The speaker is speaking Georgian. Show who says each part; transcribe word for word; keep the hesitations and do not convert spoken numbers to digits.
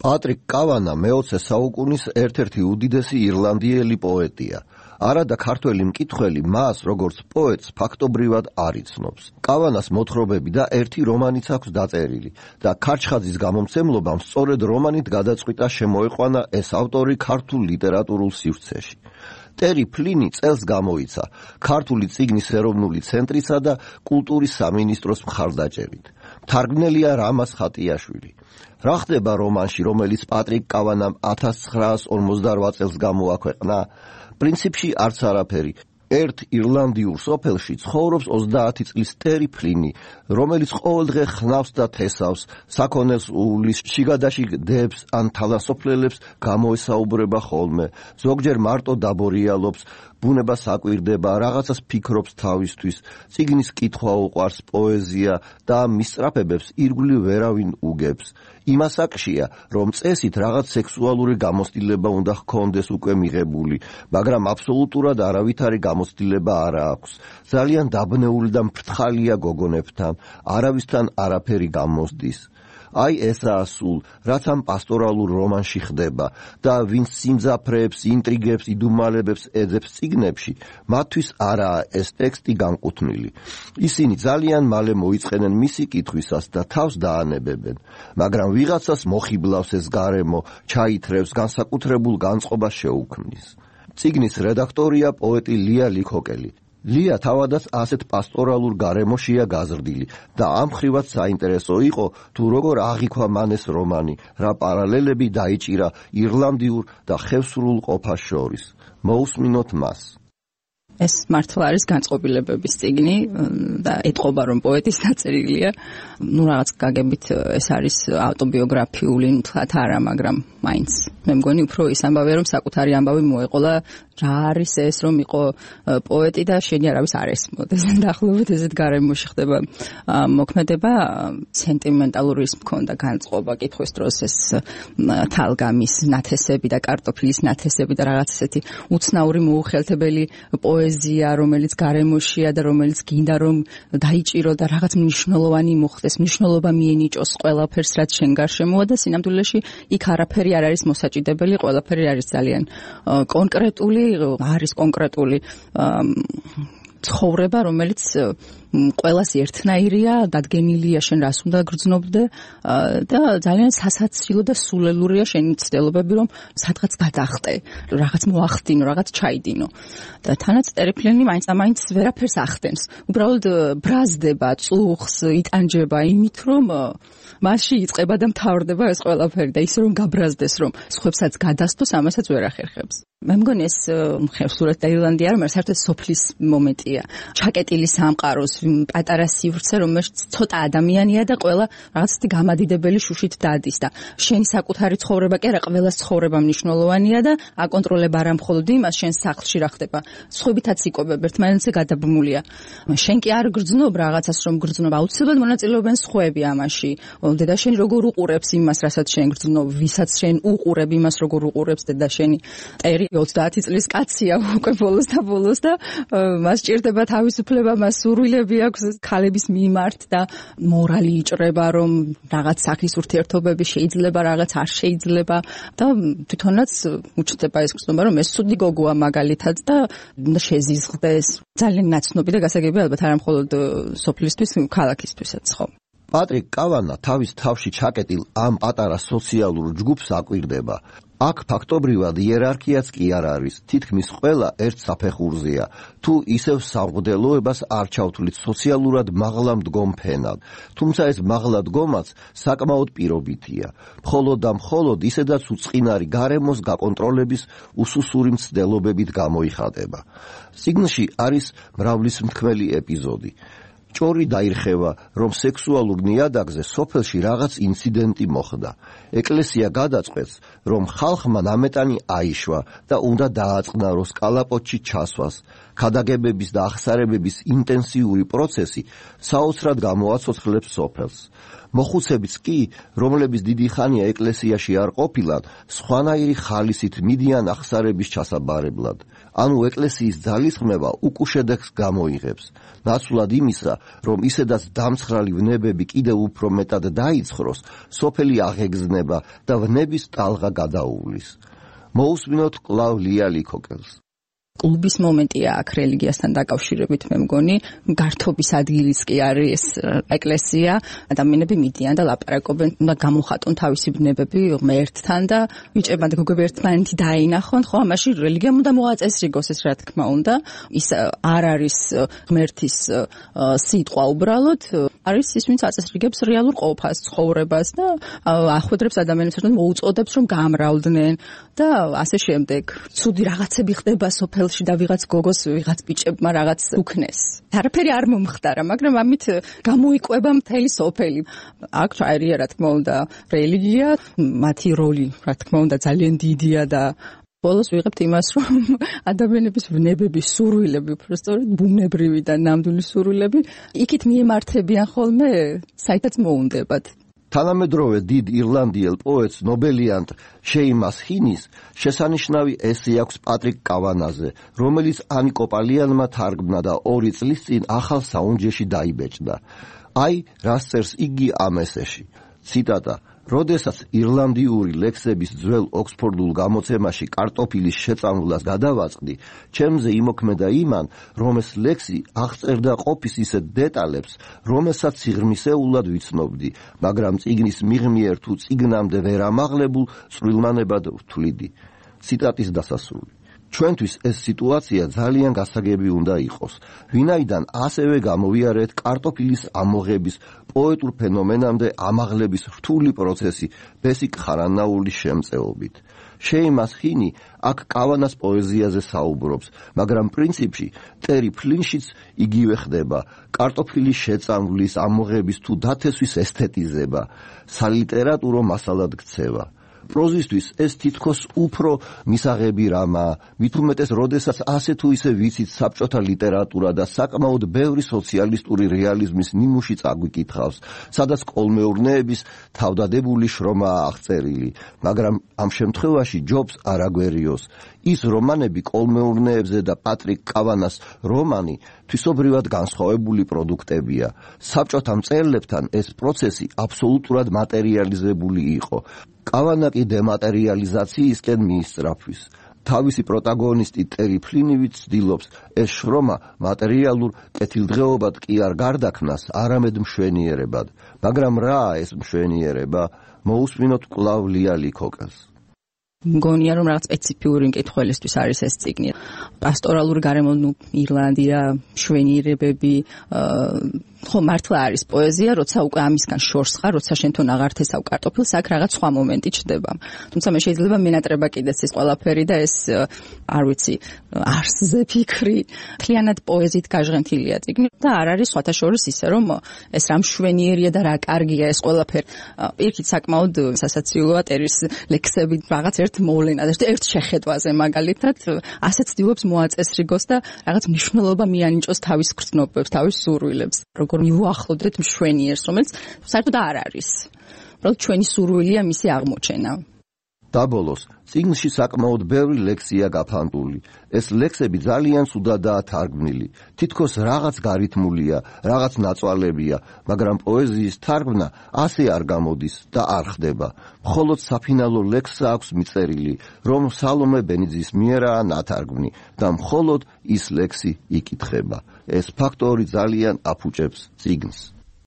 Speaker 1: პატრიკ კავანა მეოცე საუკუნის ერთ-ერთი უდიდესი ირლანდიელი პოეტია. არადა ქართველი მკითხველი მას როგორც პოეტს ფაქტობრივად არ იცნობს. კავანას მოთხრობები და ერთი რომანიც აქვს დაწერილი და ქარჩხაძის გამომცემლობამ სწორედ რომანით გადაწყვიტა შემოეყვანა ეს ავტორი ქართულ ლიტერატურულ სივრცეში. ტერი ფლინი წელს გამოიცა ქართული წიგნის ეროვნული ცენტრისა და კულტურის სამინისტროს მხარდაჭერით. თარგმნელია რამაზ ხატიაშვილი. რა ხდება რომანში, რომელიც პატრიკ კავანამ ათას ცხრაას ორმოცდარვა წელს გამოაქვეყნა? პრინციპში არც არაფერი. ერთ ირლანდიურ სოფელში ცხოვრობს ოცდაათი წლის ტერი ფლინი, რომელიც ყოველდღე ხნავს და თესავს, საქონელს უვლის, შიგადაშიგ დებს ან თალასოფლელებს გამოესაუბრება ხოლმე, ზოგჯერ მარტო დაბორიალობს, ბუნებას აკვირდება, რაღაცას ფიქრობს თავისთვის, წიგნის კითხვა უყვარს, პოეზია და ამ მისწრაფებებს ირგვლივ ვერავინ უგებს. იმას აკშია, რომ წესით რაღაც სექსუალური გამოცდილება უნდა ჰქონდეს უკვე მიღებული, მაგრამ აბსოლუტურად არავითარი გამოცდილება არ აქვს. ძალიან დაბნეული და მფრთხალია გოგონებთან, არავისთან არაფერი გამოსდის. აი ესაა სულ, რაც ამ პასტორალურ რომანში ხდება და ვინც სიმძაფრეებს, ინტრიგებს, იდუმალებებს ეძებს წიგნებში, მათთვის არაა ეს ტექსტი განკუთვნილი. ისინი ძალიან მალე მოიწყენენ მისი კითხვისას და თავს დაანებებენ, მაგრამ ვიღაცას მოხიბლავს ეს გარემო, ჩაითრევს, განსაკუთრებულ განწყობას შეუქმნის. წიგნის რედაქტორია პოეტი ლია ლიქოკელი. ლია თავადაც ასეთ პასტორალურ გარემოშია გაზრდილი და ამ ხრივაც საინტერესო იყო თუ როგორ აღიქვა მან ეს რომანი, რა პარალელები დაიჭირა ირლანდიურ და ხევსურულ ყოფას შორის. მოусმინოთ მას.
Speaker 2: ეს მართლა არის განწყობილებების წიგნი და ეტყობა რომ პოეტის დაწერილია. ნუ რაღაც გაგებით ეს არის ავტობიოგრაფიული თვათ არა, მაგრამ მაინც მე მგონი უფრო ის ამბავია რომ საკუთარი ამბავი მოეყოლა რა არის ეს რომ იყო პოეტი და შენი არავის არ ესმოდეს. დაახლოებით ესეთ გარემოში ხდება მოქმედება. სენტიმენტალური ის მქონდა განწყობა კითხვის დროს ეს თალგამის ნათესები და კარტოფილის ნათესები და რაღაც ესეთი უცნაური მოუხელთებელი პოეზია, რომელიც გარემოშია და რომელიც გინდა რომ დაიჭირო და რაღაც მნიშვნელოვანი მოხდეს, მნიშვნელობა მიენიჭოს ყველაფერს, რაც შენ გარშემოა და სინამდვილეში იქ არაფერი არ არის მოსაჭიდებელი, ყველაფერი არის ძალიან კონკრეტული, არის კონკრეტული ცხოვრება, რომელიც ყველას ერთნაირია, დადგენილია შენ რას უნდა გრძნობდე და ძალიან სასაცილო და სულელურია შენი ცდილობები რომ სადღაც გადახტე, რაღაც მოახდინო, რაღაც ჩაიდინო. და თანაც ტერი ფლინი მაინც ამაინც ვერაფერს ახდენს. უბრალოდ ბრაზდება, წუხს, იტანჯება იმით რომ მასში იწყება და მთავრდება ეს ყველაფერი და ისე რომ გაბრაზდეს რომ სხვებსაც გადასთოს, ამასაც ვერ ახერხებს. მე მგონი ეს ხევსურეთ და ირლანდია რომ საერთოდ სოფლის მომენტია. ჩაკეტილი სამყაროს პატარა სივრცე, რომელშიც ცოტა ადამიანია და ყველა რაღაცეთი გამადიდებელი შუშით დადის და შენი საკუთარი ცხოვრება კი არა, ყველას ცხოვრება მნიშვნელოვანია და აკონტროლება არა მხოლოდ იმას, შენ სახლში რა ხდება, სხვებითაც იკვებებ, ერთმანეთზე გადაბმულია. შენ კი არ გრძნობ რაღაცას, რომ გრძნობ, აუცილებლად მონაწილეობენ სხვები ამაში. დედაშენი როგორ უყურებს იმას, რასაც შენ გრძნობ, ვისაც შენ უყურებ იმას, როგორ უყურებს დედაშენი. ტერი ოცდაათი წლის კაცია უკვე ბოლოს და ბოლოს და მას ჭირდება თავისუფლება, მას სურვილები აქვს ქალების მიმართ და მორალი იჭრება, რომ რაღაც სახის ურთიერთობები შეიძლება, რაღაც არ შეიძლება და თვითონაც უჩნდება ეს გრძნობა, რომ ეს ცუდი გოგოა მაგალითად და უნდა შეზიზღდეს. ძალიან ნაცნობი და გასაგები ალბათ არა მხოლოდ სოფლისთვის, ქალაქისთვისაც ხო.
Speaker 1: პატრიკ კავანა თავის თავში ჩაკეტილ ამ პატარა სოციალურ ჯგუფს აკვირდება. აქ ფაქტობრივად იერარქიაც კი არ არის, თითქმის ყველა ერთ საფეხურზეა, თუ ისევ სამღვდელოებას არ ჩავთვლით სოციალურად მაღლა მდგომ ფენად, თუმცა ეს მაღლა დგომაც საკმაოდ პირობითია, მხოლოდ და მხოლოდ ისედაც უწყინარი გარემოს გაკონტროლების უსუსური მცდელობებით გამოიხატება. წიგნში არის მრავლისმთქმელი ეპიზოდი. ჭორი დაირხევა, რომ სექსუალურ ნიადაგზე სოფელში რაღაც ინციდენტი მოხდა. ეკლესია გადაწყვეტს, რომ ხალხმა ნამეტანი აიშვა და უნდა დააწყნაროს კალაპოტში ჩასვას. ქადაგებების და აღსარებების ინტენსიური პროცესი საოცრად გამოაცოცხლებს სოფელს. მოხუცებიც კი, რომლებიც დიდი ხანია ეკლესიაში არ ყოფილან, სხვანაირი ხალისით მიდიან აღსარების ჩასაბარებლად. ანუ ეკლესიის ძალისხმევა უკუშედეგს გამოიღებს. ნაცვლად იმისა, რომ ისედაც დამცხრალი ვნებები კიდევ უფრო მეტად დაიცხროს, სოფელი აღეგზნება და ვნების ტალღა გადაუვლის. მოусმინოთ კვლავ ლია ლიქოკელს.
Speaker 2: კლუბის მომენტია აქ რელიგიასთან დაკავშირებით, მე მგონი, გართობის ადგილიც კი არის ეკლესია, ადამიანები მიდიან და ლაპარაკობენ, უნდა გამოხატონ თავისი ბნებები ღმერთთან და ბიჭებმა და გოგოები ერთმანეთი დაინახონ, ხო, ამაში რელიგიამ უნდა მოაწესრიგოს ეს რა თქმა უნდა, ის არ არის ღმერთის სიტყვა უბრალოდ, არის ის, ვინც აწესრიგებს რეალურ ყოფას, ცხოვრებას და ახვედრებს ადამიანებს ერთად მოუწოდებს, რომ გამრავლდნენ და ასე შემდეგ. ცუდი რაღაცები ხდება სოფელ და ვიღაც გოგოს, ვიღაც ბიჭებმა რაღაც უქნეს. არაფერი არ მომხდარა, მაგრამ ამით გამოიკვება მთელი სოფელი. აქ ჩაერია, რა თქმა უნდა, რელიგია, მათი როლი, რა თქმა უნდა, ძალიან დიდია და ბოლოს ვიღებთ იმას, რომ ადამიანების ვნებები, სურვილები, უბრალოდ ბუნებრივი და ნამდვილი სურვილები, იქით მიემართებიან ხოლმე, საითაც მოუნდებათ.
Speaker 1: თანამედროვე დიდ ირლანდიელ პოეტს ნობელიანტ შეიმას ჰინის შესანიშნავი ესე აქვს პატრიკ კავანაზე, რომელიც ანი კოპალიანმა თარგმნა და ორი წლის წინ ახალ საუნჯეში დაიბეჭდა. აი, რას წერს იგი ამ ესეში. ციტატა: როდესაც ირლანდიური ლექსების ძველ ოქსფორდულ გამოცემაში კარტოფილის შეწამვლას გადავაწყდი, ჩემზე იმოქმედა იმან, რომ ეს ლექსი აღწერდა ყოფის ისეთ დეტალებს, რომელსაც სიღრმისეულად ვიცნობდი, მაგრამ წიგნის მიღმიერ თუ წიგნამდე ვერ ამაღლებულ წვრილმანებად ვთვლიდი. ციტატის დასასრული. ჩვენთვის ეს სიტუაცია ძალიან გასაგები უნდა იყოს, ვინაიდან ასევე გამოვიარეთ კარტოფილის ამოღების პოეტურ ფენომენამდე ამაღლების რთული პროცესი ბესიკ ხარანაულის შემწეობით. შეიმას ჰინი აქ კავანას პოეზიაზე საუბრობს, მაგრამ პრინციპში ტერი ფლინშიც იგივე ხდება, კარტოფილის შეწამვლის, ამოღების თუ დათესვის ესთეტიზება, სალიტერატურო მასალად ქცევა. პროზისთვის ეს თითქოს უფრო მისაღები რამაა, მით უმეტეს, როდესაც ასე თუ ისე ვიცით საბჭოთა ლიტერატურა და საკმაოდ ბევრი სოციალისტური რეალიზმის ნიმუში წაგვიკითხავს, სადაც კოლმეურნეების თავდადებული შრომაა აღწერილი, მაგრამ ამ შემთხვევაში ჯობს არ აგვერიოს. ის რომანები კოლმეურნეებზე და პატრიკ კავანას რომანი თვისობრივად განსხვავებული პროდუქტებია. საბჭოთა მწერლებთან ეს პროცესი აბსოლუტურად მატერიალიზებული იყო. კავანა კი დემატერიალიზაციისკენ მიისწრაფვის. თავისი პროტაგონისტი ტერი ფლინივიც ცდილობს ეს შრომა მატერიალურ კეთილდღეობად კი არ გარდაქმნას, არამედ მშვენიერებად. მაგრამ რაა ეს მშვენიერება? მოусმინოთ კვლავ ლია ლიქოკელს.
Speaker 2: მგონია, რომ რაღაც სპეციფიური მკითხველისთვის არის ეს წიგნი. პასტორალური გარემო, ნუ ირლანდია, მშვენიერებები, ხო მართლა არის პოეზია, როცა უკვე ამისგან შორს ხარ, როცა შენთან აღარ თესავ კარტოფილს, აქ რაღაც სხვა მომენტი ჩდება. თუმცა მე შეიძლება მენატრება კიდეც ეს ყველაფერი და ეს არ ვიცი, არსზე ფიქრი, მთლიანად პოეზიით გაჟღენთილია წიგნი და არ არის სხვათა შორის ისე, რომ ეს რა მშვენიერია და რა კარგია ეს ყველაფერი. პირიქით საკმაოდ სასაცილოა ტერის ლექსები რაღაც ერთ მოვლენა და ერთ შეხედვაზე მაგალითად ასე ცდილობს მოაწესრიგოს და რაღაც მნიშვნელობა მიანიჭოს თავის გრძნობებს, თავის სურვილებს. როგორ მივუახლოვდეთ მშვენიერს, რომელიც საერთოდ არ არის. უბრალოდ ჩვენი სურვილია მისი აღმოჩენა.
Speaker 1: დაბოლოს, წიგნში საკმაოდ ბევრი ლექსია გაფანტული. ეს ლექსები ძალიან ცუდადაა თარგმნილი. თითქოს რაღაც გარითმულია, რაღაც ნაწვალებია, მაგრამ პოეზიის თარგმნა ასე არ გამოდის და არ ხდება. მხოლოდ საფინალო ლექსს აქვს მიწერილი, რომ სალომე ბენიძის მიერაა ნათარგმნი და მხოლოდ ის ლექსი იკითხება. ეს ფაქტორი ძალიან აფუჭებს წიგნს.